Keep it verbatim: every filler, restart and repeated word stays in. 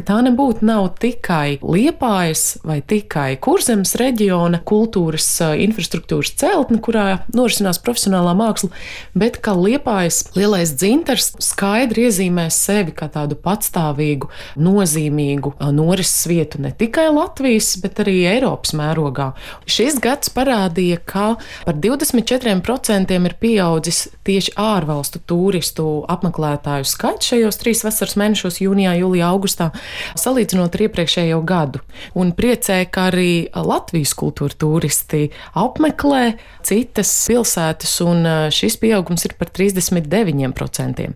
tā nebūtu nav tikai Liepājas vai tikai Kurzemes reģiona kultūras infrastruktūras celtne, kurā norisinās profesionālā māksla, bet ka Liepājas lielais dzintars skaidri iezīmē sevi kā tādu patstāvīgu, nozīmīgu norises vietu ne tikai Latvijas, bet arī Eiropas mērogā. Šis gads parādīja, ka par divdesmit četriem procentiem ir pieaudzis tieši ārvalstu turistu apmeklētāju skaits šajos trīs vasaras mēnešos, jūnijā, jūlijā, augustā, salīdzinot ar iepriekšējo gadu. Un priecē, ka arī Latvijas kultūra turisti apmeklē citas pilsētas, un šis pieaugums ir par trīsdesmit deviņiem procentiem.